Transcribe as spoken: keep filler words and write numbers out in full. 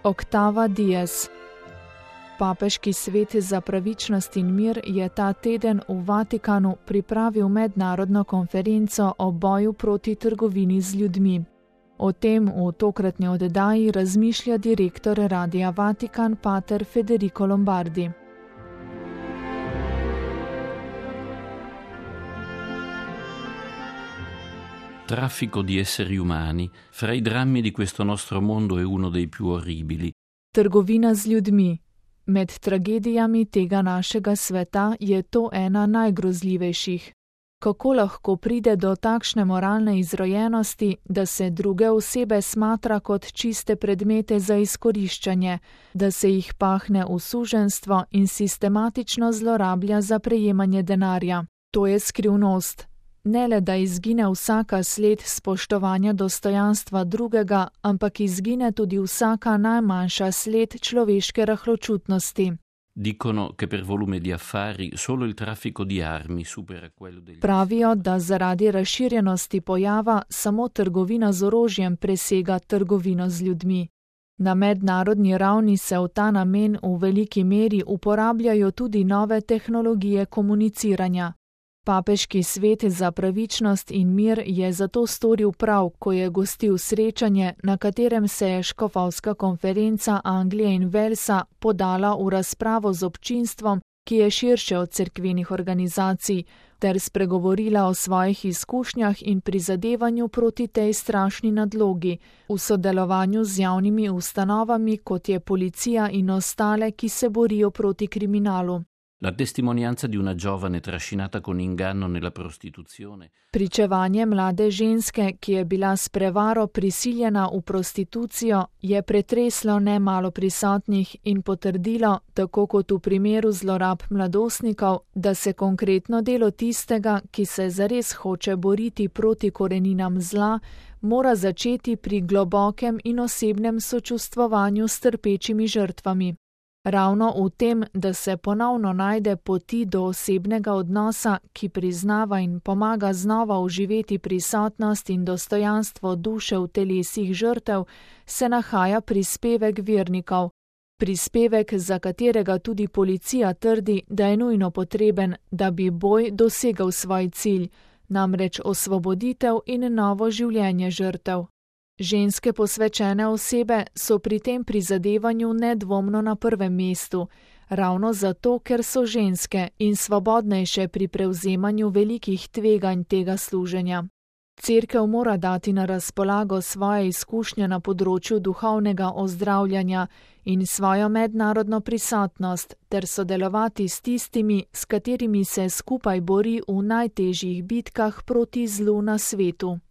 Octava Dies. Papeški svet za pravičnost in mir je ta teden v Vatikanu pripravil mednarodno konferenco o boju proti trgovini z ljudmi. O tem v tokratni oddaji razmišlja direktor Radia Vatikan pater Federico Lombardi. Traffico di esseri umani, fra i drammi di questo nostro mondo è uno dei più orribili. Trgovina z ljudmi. Med tragedijami tega našega sveta je to ena najgrozljivejših. Kako lahko pride do takšne moralne izrojenosti, da se druge osebe smatra kot čiste predmete za izkoriščanje, da se jih pahne v suženjstvo in sistematično zlorablja za prejemanje denarja? To je skrivnost. Ne le, da izgine vsaka sled spoštovanja dostojanstva drugega, ampak izgine tudi vsaka najmanjša sled človeške rahločutnosti. Dicono che per volume di affari solo il traffico di armi supera quello degli... Pravijo, da zaradi razširjenosti pojava samo trgovina z orožjem presega trgovino z ljudmi. Na mednarodni ravni se v ta namen v veliki meri uporabljajo tudi nove tehnologije komuniciranja. Papeški svet za pravičnost in mir je zato storil prav, ko je gostil srečanje, na katerem se je škofovska konferenca Anglije in Walesa podala v razpravo z občinstvom, ki je širše od cerkvenih organizacij, ter spregovorila o svojih izkušnjah in prizadevanju proti tej strašni nadlogi, v sodelovanju z javnimi ustanovami, kot je policija in ostale, ki se borijo proti kriminalu. La testimonianza di una giovane trascinata con inganno nella prostituzione. Pričevanje mlade ženske, ki je bila s prevaro prisiljena v prostitucijo, je pretreslo nemalo prisotnih in potrdilo, tako kot v primeru zlorab mladostnikov, da se konkretno delo tistega, ki se zares hoče boriti proti koreninam zla, mora začeti pri globokem in osebnem sočustvovanju s trpečimi žrtvami. Ravno v tem, da se ponovno najde poti do osebnega odnosa, ki priznava in pomaga znova uživeti prisotnost in dostojanstvo duše v telesih žrtev, se nahaja prispevek vernikov. Prispevek, za katerega tudi policija trdi, da je nujno potreben, da bi boj dosegel svoj cilj, namreč osvoboditev in novo življenje žrtev. Ženske posvečene osebe so pri tem prizadevanju nedvomno na prvem mestu, ravno zato, ker so ženske in svobodnejše pri prevzemanju velikih tveganj tega služenja. Cerkev mora dati na razpolago svoje izkušnje na področju duhovnega ozdravljanja in svojo mednarodno prisotnost ter sodelovati s tistimi, s katerimi se skupaj bori v najtežjih bitkah proti zlu na svetu.